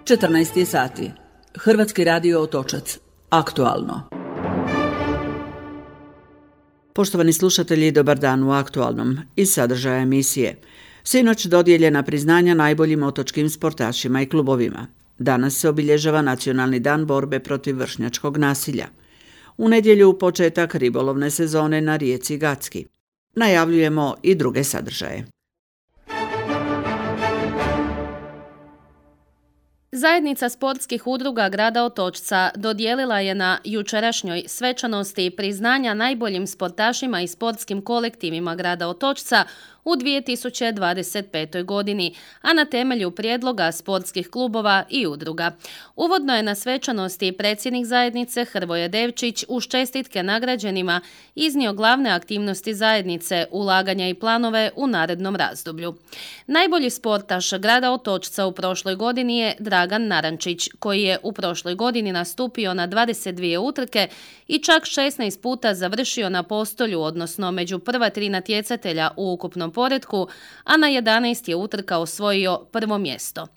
14 sati. Hrvatski radio Otočac. Aktualno. Poštovani slušatelji, dobar dan u Aktualnom. Iz sadržaja emisije. Sinoć dodijeljena priznanja najboljim otočkim sportašima i klubovima. Danas se obilježava Nacionalni dan borbe protiv vršnjačkog nasilja. U nedjelju početak ribolovne sezone na rijeci Gacki. Najavljujemo i druge sadržaje. Zajednica sportskih udruga grada Otočca dodijelila je na jučerašnjoj svečanosti priznanja najboljim sportašima i sportskim kolektivima grada Otočca u 2025. godini, a na temelju prijedloga sportskih klubova i udruga. Uvodno je na svečanosti predsjednik zajednice Hrvoje Devčić uz čestitke nagrađenima iznio glavne aktivnosti zajednice, ulaganja i planove u narednom razdoblju. Najbolji sportaš grada Otočca u prošloj godini je Dragan Narančić, koji je u prošloj godini nastupio na 22 utrke i čak 16 puta završio na postolju, odnosno među prva 3 natjecatelja u ukupnom poretku, a na 11 je utrka osvojio prvo mjesto.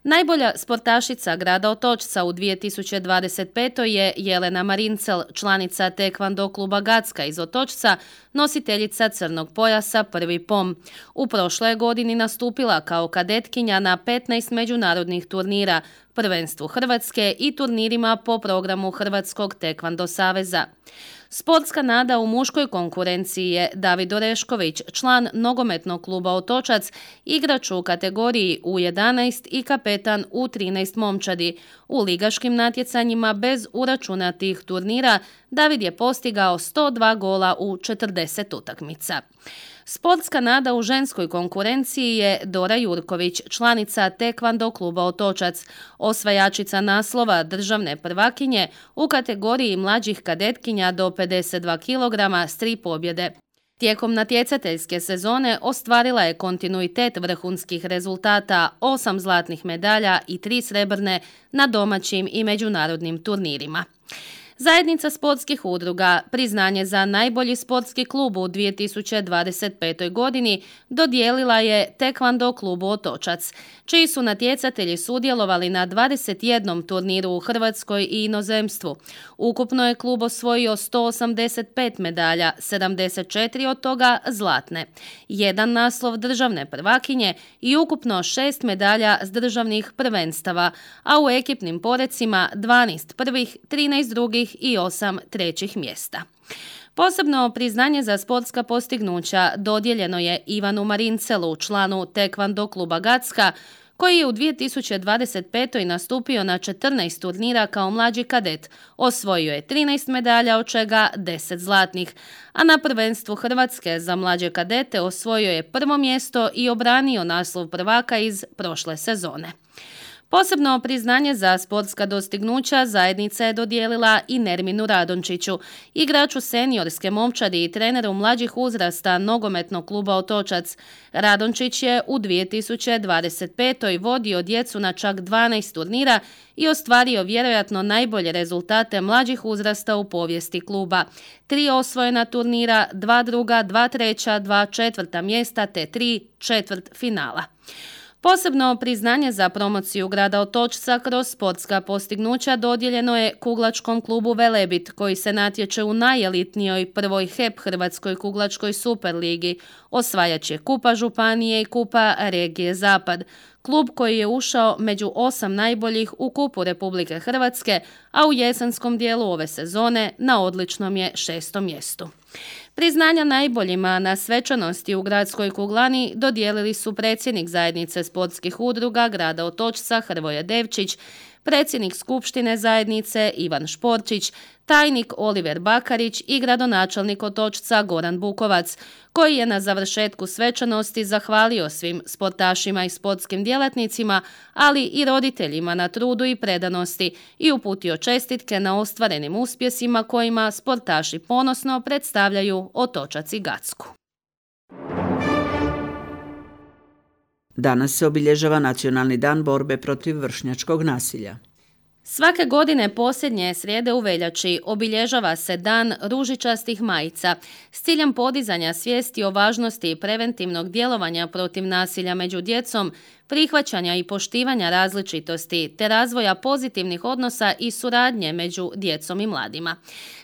Najbolja sportašica grada Otočca u 2025. je Jelena Marincel, članica Tekvando kluba Gacka iz Otočca, nositeljica crnog pojasa prvi pom. U prošloj godini nastupila kao kadetkinja na 15 međunarodnih turnira, prvenstvu Hrvatske i turnirima po programu Hrvatskog tekvando saveza. Sportska nada u muškoj konkurenciji je David Orešković, član nogometnog kluba Otočac, igrač u kategoriji U11 i kapetan U13 momčadi. U ligaškim natjecanjima bez uračunatih turnira David je postigao 102 gola u 40 utakmica. Sportska nada u ženskoj konkurenciji je Dora Jurković, članica Tekvando kluba Otočac, osvajačica naslova državne prvakinje u kategoriji mlađih kadetkinja do 52 kg s 3 pobjede. Tijekom natjecateljske sezone ostvarila je kontinuitet vrhunskih rezultata, 8 zlatnih medalja i 3 srebrne na domaćim i međunarodnim turnirima. Zajednica sportskih udruga priznanje za najbolji sportski klub u 2025. godini dodijelila je Tekvando klubu Otočac, čiji su natjecatelji sudjelovali na 21 turniru u Hrvatskoj i inozemstvu. Ukupno je klub osvojio 185 medalja, 74 od toga zlatne, 1 naslov državne prvakinje i ukupno 6 medalja s državnih prvenstava, a u ekipnim porecima 12 prvih, 13 drugih i 8 trećih mjesta. Posebno priznanje za sportska postignuća dodijeljeno je Ivanu Marincelu, članu Tekvando kluba Gacka, koji je u 2025. nastupio na 14 turnira kao mlađi kadet. Osvojio je 13 medalja, od čega 10 zlatnih, a na prvenstvu Hrvatske za mlađe kadete osvojio je prvo mjesto i obranio naslov prvaka iz prošle sezone. Posebno priznanje za sportska dostignuća zajednica je dodijelila i Nerminu Radončiću, igraču seniorske momčadi i treneru mlađih uzrasta nogometnog kluba Otočac. Radončić je u 2025. vodio djecu na čak 12 turnira i ostvario vjerojatno najbolje rezultate mlađih uzrasta u povijesti kluba. 3 osvojena turnira, 2 druga, 2 treća, 2 četvrta mjesta te 3 četvrt finala. Posebno priznanje za promociju grada Otočca kroz sportska postignuća dodijeljeno je kuglačkom klubu Velebit, koji se natječe u najelitnijoj prvoj HEP Hrvatskoj kuglačkoj superligi. Osvajač je Kupa Županije i Kupa regije Zapad. Klub koji je ušao među 8 najboljih u Kupu Republike Hrvatske, a u jesenskom dijelu ove sezone na odličnom je 6. mjestu. Priznanja najboljima na svečanosti u gradskoj kuglani dodijelili su predsjednik zajednice sportskih udruga grada Otočca Hrvoje Devčić, predsjednik skupštine zajednice Ivan Šporčić, tajnik Oliver Bakarić i gradonačelnik Otočca Goran Bukovac, koji je na završetku svečanosti zahvalio svim sportašima i sportskim djelatnicima, ali i roditeljima na trudu i predanosti i uputio čestitke na ostvarenim uspjesima kojima sportaši ponosno predstavljaju Otočac i Gacku. Danas se obilježava Nacionalni dan borbe protiv vršnjačkog nasilja. Svake godine posljednje srijede u veljači obilježava se Dan ružičastih majica s ciljem podizanja svijesti o važnosti preventivnog djelovanja protiv nasilja među djecom, prihvaćanja i poštivanja različitosti te razvoja pozitivnih odnosa i suradnje među djecom i mladima.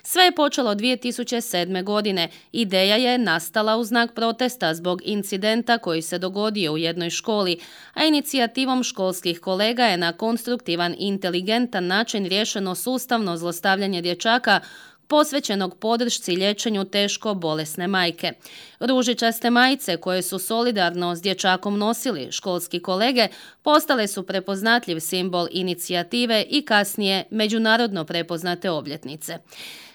Sve je počelo 2007. godine. Ideja je nastala u znak protesta zbog incidenta koji se dogodio u jednoj školi, a inicijativom školskih kolega je na konstruktivan i inteligentan način riješeno sustavno zlostavljanje dječaka posvećenog podršci liječenju teško bolesne majke. Ružičaste majice koje su solidarno s dječakom nosili školski kolege postale su prepoznatljiv simbol inicijative i kasnije međunarodno prepoznate obljetnice.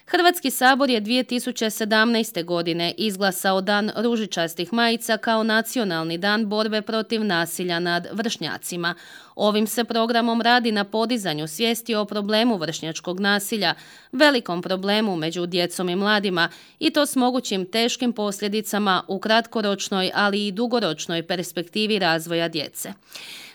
Hrvatski sabor je 2017. godine izglasao Dan ružičastih majica kao nacionalni dan borbe protiv nasilja nad vršnjacima. Ovim se programom radi na podizanju svijesti o problemu vršnjačkog nasilja, velikom problemu među djecom i mladima i to s mogućim teškim posljedicama u kratkoročnoj, ali i dugoročnoj perspektivi razvoja djece.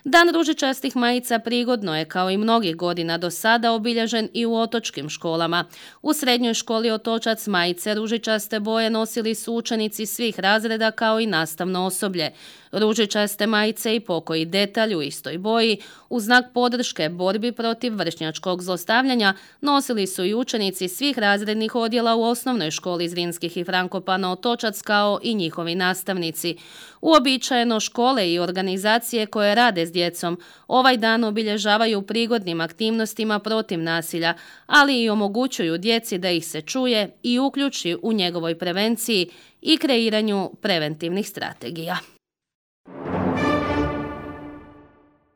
Dan ružičastih majica prigodno je, kao i mnogih godina do sada, obilježen i u otočkim školama. U srednjoj školi Otočac majice ružičaste boje nosili su učenici svih razreda kao i nastavno osoblje. Ružičaste majice i pokoji detalj u istoj boji u znak podrške borbi protiv vršnjačkog zlostavljanja nosili su i učenici svih razrednih odjela u osnovnoj školi Zrinskih i Frankopana Otočac kao i njihovi nastavnici. Uobičajeno škole i organizacije koje rade s djecom ovaj dan obilježavaju prigodnim aktivnostima protiv nasilja, ali i omogućuju djeci da ih se čuje i uključi u njegovoj prevenciji i kreiranju preventivnih strategija.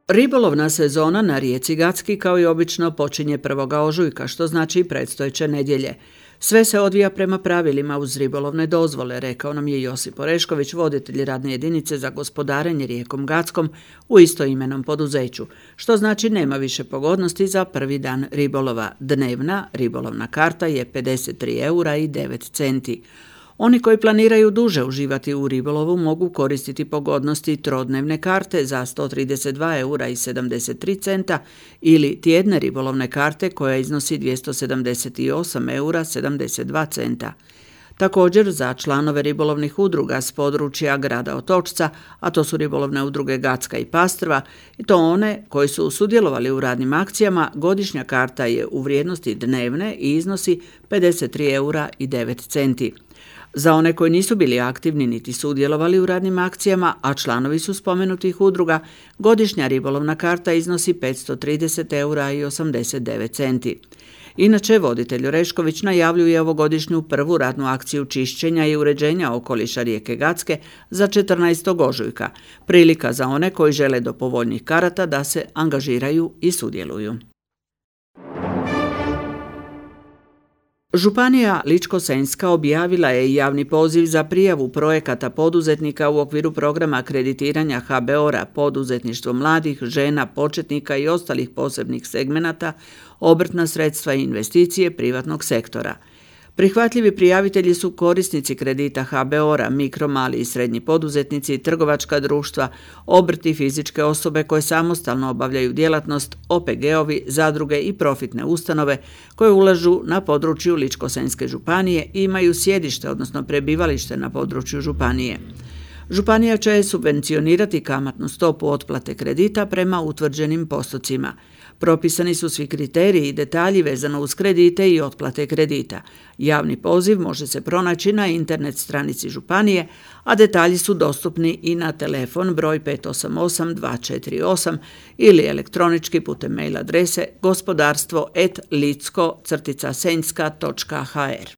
Ribolovna sezona na rijeci Gacki kao i obično počinje 1. ožujka, što znači predstojeće nedjelje. Sve se odvija prema pravilima uz ribolovne dozvole, rekao nam je Josip Orešković, voditelj radne jedinice za gospodarenje rijekom Gackom u istoimenom poduzeću, što znači nema više pogodnosti za prvi dan ribolova. Dnevna ribolovna karta je 53 eura i 9 centi. Oni koji planiraju duže uživati u ribolovu mogu koristiti pogodnosti trodnevne karte za 132 eura i 73 centa ili tjedne ribolovne karte koja iznosi 278 eura 72 centa. Također za članove ribolovnih udruga s područja grada Otočca, a to su ribolovne udruge Gacka i Pastrva, i to one koji su sudjelovali u radnim akcijama, godišnja karta je u vrijednosti dnevne i iznosi 53 eura i 9 centi. Za one koji nisu bili aktivni niti sudjelovali u radnim akcijama, a članovi su spomenutih udruga, godišnja ribolovna karta iznosi 530 eura i 89 centi. Inače, voditelj Orešković najavljuje ovogodišnju prvu radnu akciju čišćenja i uređenja okoliša rijeke Gacke za 14. ožujka, prilika za one koji žele do povoljnih karata da se angažiraju i sudjeluju. Županija Ličko-senjska objavila je javni poziv za prijavu projekata poduzetnika u okviru programa kreditiranja HBOR-a poduzetništvo mladih, žena, početnika i ostalih posebnih segmenata, obrtna sredstva i investicije privatnog sektora. Prihvatljivi prijavitelji su korisnici kredita HBOR-a, mikro, mali i srednji poduzetnici, trgovačka društva, obrti, fizičke osobe koje samostalno obavljaju djelatnost, OPG-ovi, zadruge i profitne ustanove koje ulažu na području Ličko-senjske županije i imaju sjedište, odnosno prebivalište na području županije. Županija će subvencionirati kamatnu stopu otplate kredita prema utvrđenim postocima. Propisani su svi kriteriji i detalji vezano uz kredite i otplate kredita. Javni poziv može se pronaći na internet stranici županije, a detalji su dostupni i na telefon broj 588 248 ili elektronički putem mail adrese gospodarstvo@licko-senjska.hr.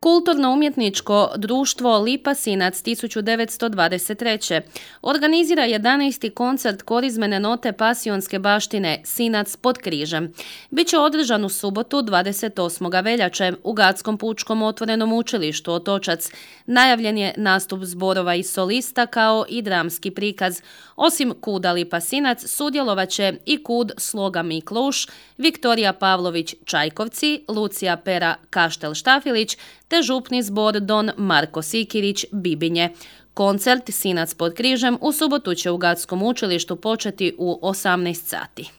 Kulturno-umjetničko društvo Lipa Sinac 1923. organizira 11. koncert korizmene note pasionske baštine Sinac pod križem. Biće održan u subotu 28. veljače u Gackom pučkom otvorenom učilištu Otočac. Najavljen je nastup zborova i solista kao i dramski prikaz. Osim kuda Lipa Sinac sudjelovat će i kud Sloga Mikluš, Viktorija Pavlović Čajkovci, Lucija Pera Kaštel Štafilić te župni zbor Don Marko Sikirić Bibinje. Koncert Sinac pod križem u subotu će u Gackom učilištu početi u 18 sati.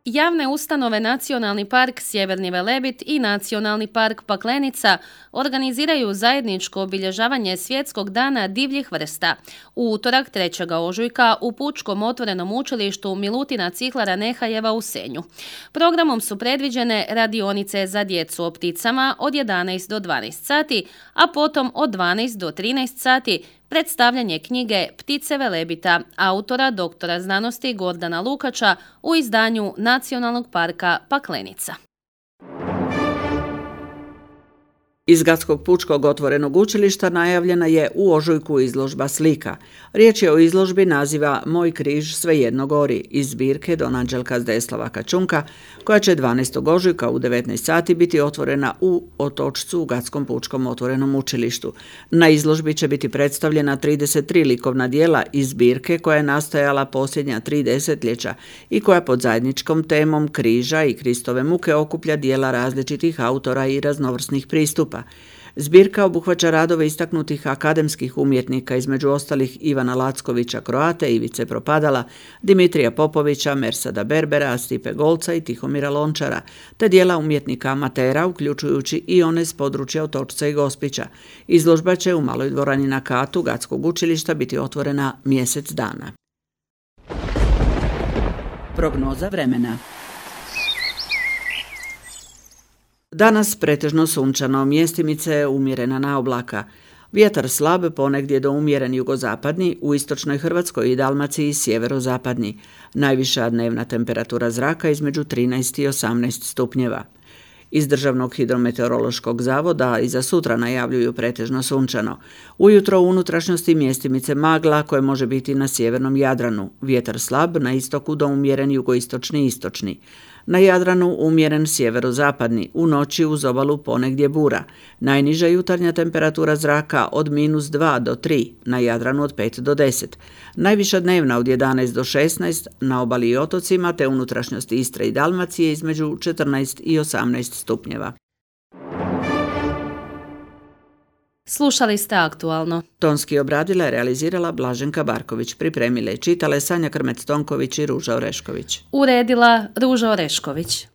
Javne ustanove Nacionalni park Sjeverni Velebit i Nacionalni park Paklenica organiziraju zajedničko obilježavanje Svjetskog dana divljih vrsta u utorak 3. ožujka u Pučkom otvorenom učilištu Milutina Cihlara Nehajeva u Senju. Programom su predviđene radionice za djecu o pticama od 11 do 12 sati, a potom od 12 do 13 sati predstavljanje knjige Ptice Velebita autora doktora znanosti Gordana Lukača u izdanju Nacionalnog parka Paklenica. Iz Gradskog pučkog otvorenog učilišta najavljena je u ožujku izložba slika. Riječ je o izložbi naziva Moj križ svejedno gori iz zbirke Don Anđelka Zdeslava Kačunka, koja će 12. ožujka u 19 sati biti otvorena u Otočcu u Gradskom pučkom otvorenom učilištu. Na izložbi će biti predstavljena 33 likovna djela iz zbirke koja je nastajala posljednja 3 desetljeća i koja pod zajedničkom temom križa i Kristove muke okuplja djela različitih autora i raznovrsnih pristupa. Zbirka obuhvaća radove istaknutih akademskih umjetnika, između ostalih Ivana Lackovića Kroate, Ivice Propadala, Dimitrija Popovića, Mersada Berbera, Stipe Golca i Tihomira Lončara, te dijela umjetnika amatera, uključujući i one s područja Otočca i Gospića. Izložba će u Maloj dvorani na katu Gradskog učilišta biti otvorena mjesec dana. Prognoza vremena. Danas pretežno sunčano, mjestimice umjerena naoblaka. Vjetar slab, ponegdje do umjeren jugozapadni, u istočnoj Hrvatskoj i Dalmaciji sjeverozapadni. Najviša dnevna temperatura zraka između 13 i 18 stupnjeva. Iz Državnog hidrometeorološkog zavoda i za sutra najavljuju pretežno sunčano. Ujutro u unutrašnjosti mjestimice magla koje može biti na sjevernom Jadranu. Vjetar slab, na istoku do umjeren jugoistočni i istočni. Na Jadranu umjeren sjeverozapadni, u noći uz obalu ponegdje bura. Najniža jutarnja temperatura zraka od -2 do 3, na Jadranu od 5 do 10. Najviša dnevna od 11 do 16, na obali i otocima te unutrašnjosti Istre i Dalmacije između 14 i 18 stupnjeva. Slušali ste Aktualno. Tonski obradila i realizirala Blaženka Barković, pripremile i čitale Sanja Krmec-Tonković i Ruža Orešković. Uredila Ruža Orešković.